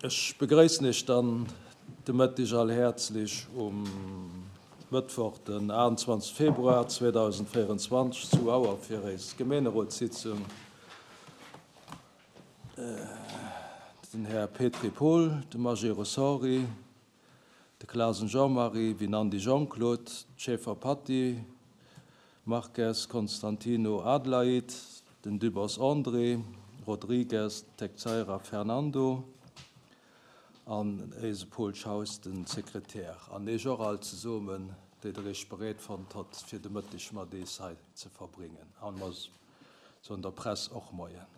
Ech begréissen Iech dann de Mëtteg all häerzlech um Mëttwoch, den 28 Februar 2024 zu Auer fir éis Gemeenerotssitzung. Den Här Petry Paul, de Magé Rosori, de Clasen Jean-Marie, Winandy Jean-Claude, d'Schaeffer Patty, Marques Constantino Adelaide, den Dübbers André, Rodrigues Teixeira Fernando an éise Paul Schaus, den Sekretär. An Eech och all zesummen, déi Der Iech bereet fonnt hott, fir de Mëtteg mat ees hei ze verbringen. An mer soen der Press och Moien.